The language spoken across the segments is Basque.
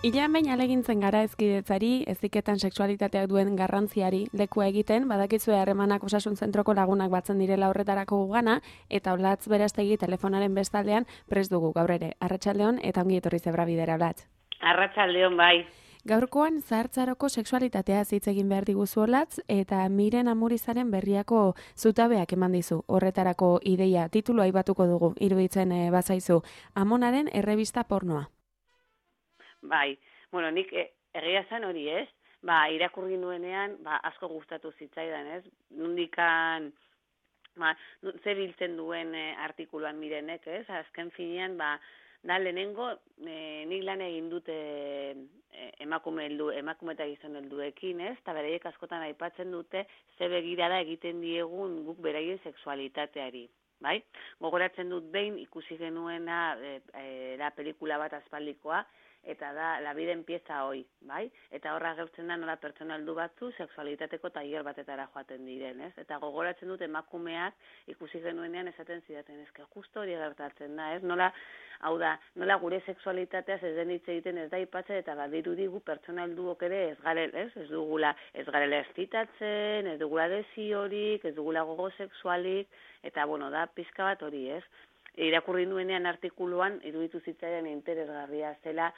Ilean behin alegintzen gara hezkidetzari, heziketan sexualitateak duen garrantziari lekua egiten, badakizue harremanak osasun zentroko lagunak batzen direla horretarako gugana, eta Olatz Berastegi telefonaren bestaldean prest dugu gaur ere. Arratsaldeon eta ongi etorri Zebrabidera, Olatz. Arratsaldeon bai. Gaurkoan zahartzaroko sexualitatea hitz egin behar diguzu Olatz, eta Miren Amurizaren berriako zutabeak eman dizu. Horretarako ideia titulua aipatuko dugu, iruditzen bazaizu. Amonaren errebista pornoa. Bai, bueno, nik egia zen hori ez, irakurri nuenean, asko gustatu zitzaidan ez, nundikan, zer biltzen duen artikuluan Mirenek ez, azken finean, da lehenengo, nik lan egin dute emakume eta gizon helduekin ez, eta beraiek askotan aipatzen dute, ze begirada egiten diegun guk beraien sexualitateari. Bai? Gogoratzen dut behin ikusi genuena da pelikula bat aspaldikoa, eta da La vida empieza hoy, bai? Eta horra agertzen da nola pertsona heldu batzu sexualitateko tailer batetara joaten diren, ez? Eta gogoratzen dut emakumeak ikusi genuenean esaten zidaten, eske justo hori gertatzen da, ez? Nola gure sexualitateaz ez den hitz egiten ez da aipatzen eta badirudi gu pertsona helduok ere ez garela eszitatzen, ez dugula desiorik, ez dugula gogo sexualik, eta bueno, da pizka bat hori, ez? Irakurri nuenean artikuluan, iruditu zitzaidan interesgarria zela,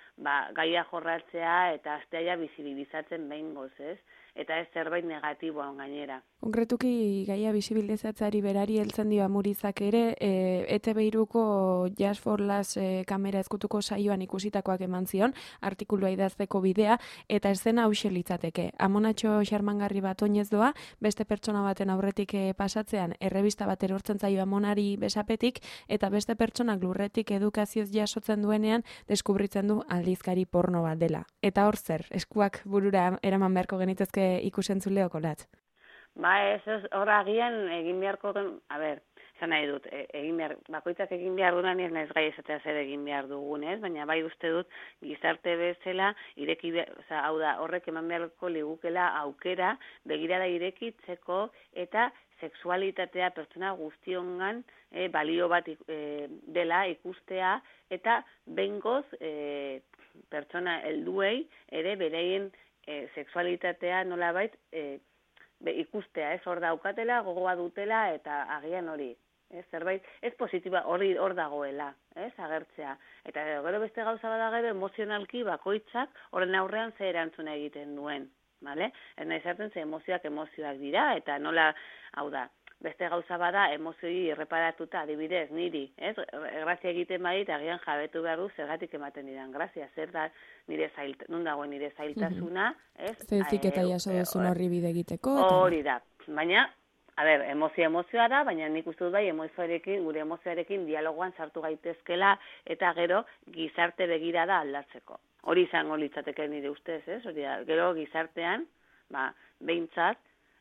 gaia jorratzea eta asteaia bizibilizatzen behingoz, ez? Eta ez zerbait negatiboan gainera. Konkretuki gaia bisibilizatzeari berari heltzen dio Amurizak ere, ETV3ko Just for Last kamera ezkutuko saioan ikusitakoak eman zion, artikulua idazteko bidea, eta eszena hauxe litzateke. Amonatxo xarmangarri bat oinez doa, beste pertsona baten aurretik pasatzean, errebista bat erortzen zaio Amonari besapetik, eta beste pertsonak lurretik edukazioz jasotzen duenean, deskubritzen du aldizkari porno bat dela. Eta hor zer, eskuak burura eraman beharko genitezke ikusentzuleok Olatz? Hor agian egin beharko, esan nahi dut, bakoitzak egin behar dunan ez naiz gai esatea zer egin behar dugun, ez? Baina bai uste dut gizarte bezala horrek eman beharko ligukela aukera begirada irekitzeko eta sexualitatea pertsona guztiongan balio bat dela ikustea eta behingoz pertsona helduei ere bereien sexualitatea nolabait ikustea, ez hor daukatela, gogoa dutela eta agian hori. Zerbait, ez positiba hori hor dagoela, agertzea. Eta gero beste gauza bada gero emozionalki bakoitzak horren aurrean ze erantzuna egiten duen. Vale? Ez nahi zartzen ze emozioak dira, eta nola, beste gauza bada emozioi erreparatuta, adibidez, niri, grazia egiten badit, agian jabetu behar du zergatik ematen didan grazia, zer da non dagoen nire zailtasuna, Zezik eta jaso duzun horri bide egiteko. Hori da, baina, emozioa da, baina nik uste dut bai gure emozioarekin dialogoan sartu gaitezkela eta gero gizarte begirada aldatzeko. Hori izango litzateke nire ustez, hori da, gero gizartean, behintzat,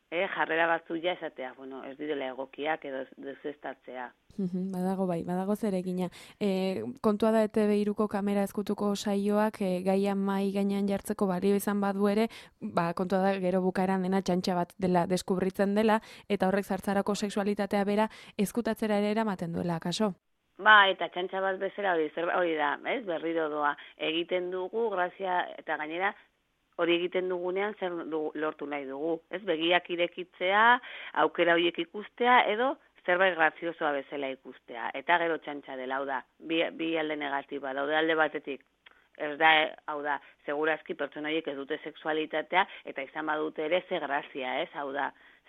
jarrera batzu ja esatea, ez direla egokiak edo dezuestatzea. Badago zeregina. Kontua da ETV3ko kamera ezkutuko saioak gaia mai gainean jartzeko balio izan badu ere, kontua da gero bukaeran dena txantxa bat dela deskubritzen dela, eta horrek zartzarako sexualitatea bera ezkutatzera ere eramaten duela, kaso? Eta txantxa bat bezala hori da, berriro doa. Egiten dugu, grazia, eta gainera, hori egiten dugunean zer lortu nahi dugu. Begiak irekitzea, aukera horiek ikustea, edo zerbait graziosoa bezala ikustea. Eta gero txantxa dela, bi alde negatiba, daude alde batetik. Ez da, segurazki pertsona horiek ez dute sexualitatea, eta izan badute ere ze grazia,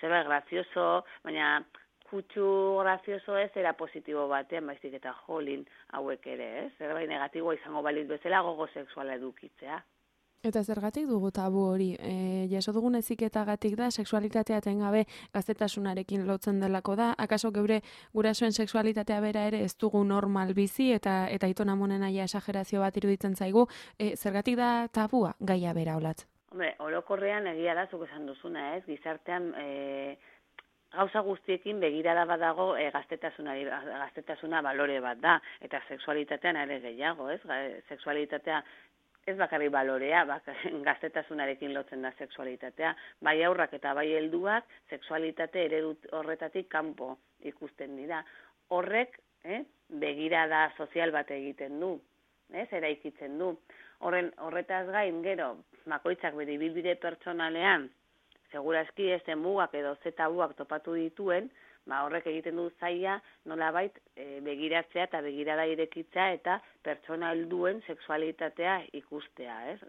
zerbait grazioso, baina kutsu grazioso ez era positibo batean, baizik eta jolin hauek ere, zerbait negatiboa izango balitz bezala gogo sexuala edukitzea. Eta zergatik dugu tabu hori? Jaso dugun heziketagatik da, sexualitatea etengabe gaztetasunarekin lotzen delako da, akaso gurasoen sexualitatea bera ere ez dugu normal bizi eta Aiton Amonen aia esagerazio bat iruditzen zaigu, zergatik da tabua gaia bera Olatz? Orokorrean egia da zuk esan duzuna, gizartean gauza guztiekin begirada badago gaztetasuna balore bat da, eta sexualitatean ere gehiago, sexualitatea ez bakarrik balorea, gaztetasunarekin lotzen da sexualitatea, bai aurrak eta bai helduak sexualitate eredu horretatik kanpo ikusten dira. Horrek begirada sozial bat egiten du. eraikitzen du. Horretaz gain, gero, bakoitzak bere ibilbide pertsonalean, segurazki ez mugak edo tabuak topatu dituen, horrek egiten du zaila nolabait begiratzea eta begirada irekitzea eta pertsona helduen sexualitatea ikustea, ez?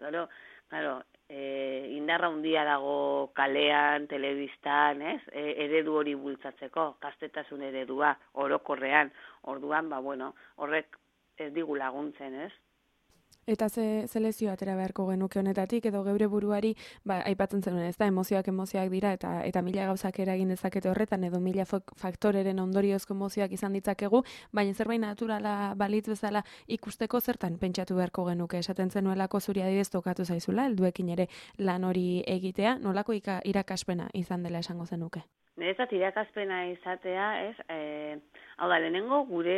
Claro, indarra handia dago kalean, telebistan, ez? Eredu hori bultzatzeko, gaztetasun eredua, orokorrean. Orduan, horrek ez digu laguntzen, ez? Eta ze lezio atera beharko genuke honetatik, edo geure buruari, aipatzen zenuen, ez da, emozioak dira, eta mila gauzak eragin dezakete horretan, edo mila faktoreren ondoriozko emozioak izan ditzakegu, baina zerbait naturala balitz bezala ikusteko zertan pentsatu beharko genuke, esaten zenuelako zuri adibidez tokatu zaizula, helduekin ere lan hori egitea, nolako irakaspena izan dela esango zenuke? Niretzat irakaspena izatea, ez, hau da, lehenengo gure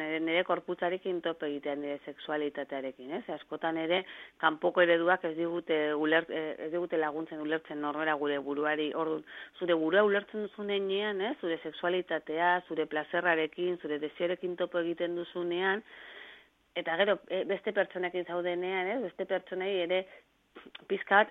nire korputzarekin tope egitean nire sexualitatearekin, ez? Askotan ere, kanpoko ereduak ez digute laguntzen ulertzen norbera gure buruari, orduan, zure burua ulertzen duzunean, ez? Zure sexualitatea, zure plazerrarekin, zure desioarekin topo egiten duzunean, eta gero, beste pertsonekin zaudenean, ez? Beste pertsonei ere, pizkat,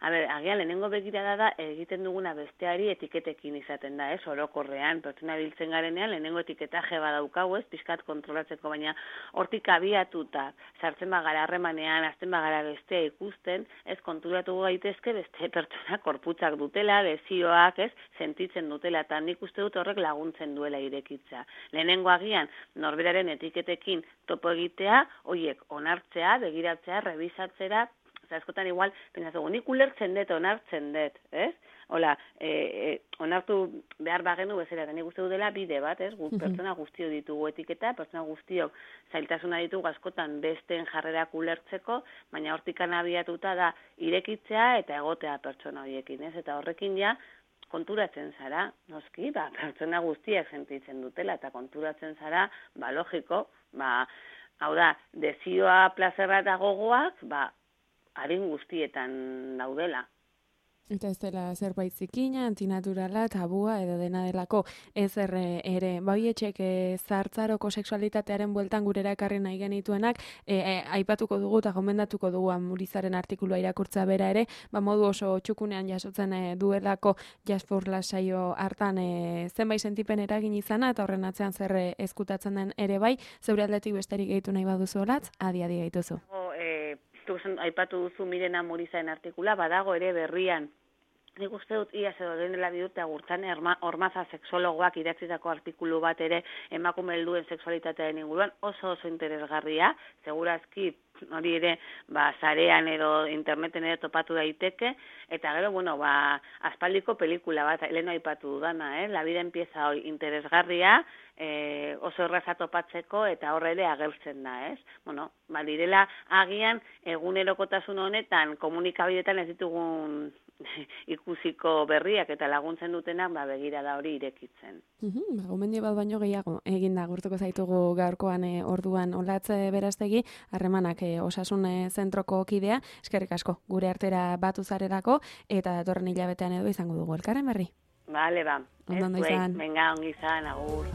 agian lehenengo begirada da egiten duguna besteari etiketekin izaten da, ez, orokorrean, pertsona biltzen garenean, lehenengo etiketaje badaukagu, ez, pizkat kontrolatzeko, baina hortik abiatuta, sartzen bagara harremanean, azten bagara bestea ikusten, ez, konturatu gaitezke beste pertsona korputzak dutela, desioak, ez, sentitzen dutela, eta nik uste dut horrek laguntzen duela irekitza. Lehenengo agian, norberaren etiketekin topo egitea, hoiek onartzea, begiratzea, rebisatzera, askotan igual, pentsatugu, nik ulertzen dut, onartzen dut, ez? Hola, onartu behar bagenu bezala, eta nik uste dela bide bat, ez? Pertsona guztio ditugu etiketa, pertsona guztiok zailtasuna ditugu askotan besteen jarrerak ulertzeko, baina hortikan abiatuta da irekitzea eta egotea pertsona horiekin, ez? Eta horrekin ja, konturatzen zara, noski, pertsona guztiak sentitzen dutela, eta konturatzen zara, logiko, hau da, desioa, plazerra eta gogoak, adin guztietan daudela. Eta ez dela zerbait zikina, antinaturala, tabua edo dena delako ez ere. Baietxek zartzaroko sexualitatearen bueltan gurera ekarri nahi genituenak, aipatuko dugu eta gomendatuko dugu Murizaren artikulua irakurtza bera ere, modu oso txukunean jasotzen duelako Just for Last saio hartan zenbait sentipen eragin izana, eta horren atzean zer ezkutatzen den ere bai, zeure aldetik besterik gehitu nahi baduzu olatz, adi gehituzu. Aipatu duzu Mirena Murizaren artikula, badago ere berrian. Nik uste dut iaz edo dela bidurte agurtan Ormaza sexologoak idatzitako artikulu bat ere emakume helduen sexualitatearen inguruan oso interesgarria, segurazki hori ere sarean edo interneten ere topatu daiteke, eta gero, aspaldiko pelikula bat, leheno aipatu dudana, La vida empieza hoy, interesgarria, oso erraza topatzeko eta horre ere agertzen da, ez? Direla agian egunerokotasun honetan komunikabidetan ez ditugun ikusiko berriak eta laguntzen dutenak begirada hori irekitzen. Gomendio bat baino gehiago eginda gurtuko zaitugu gaurkoan orduan Olatz Berastegi, harremanak osasun zentroko kidea, eskerrik asko gure artera batu zarelako eta datorren hilabetean edo izango dugu elkarren berri. Bale, Ondo izan. Venga, ongi izan, agur.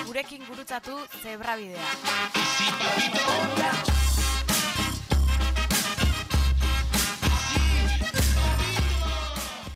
Gurekin gurutzatu Zebrabidea.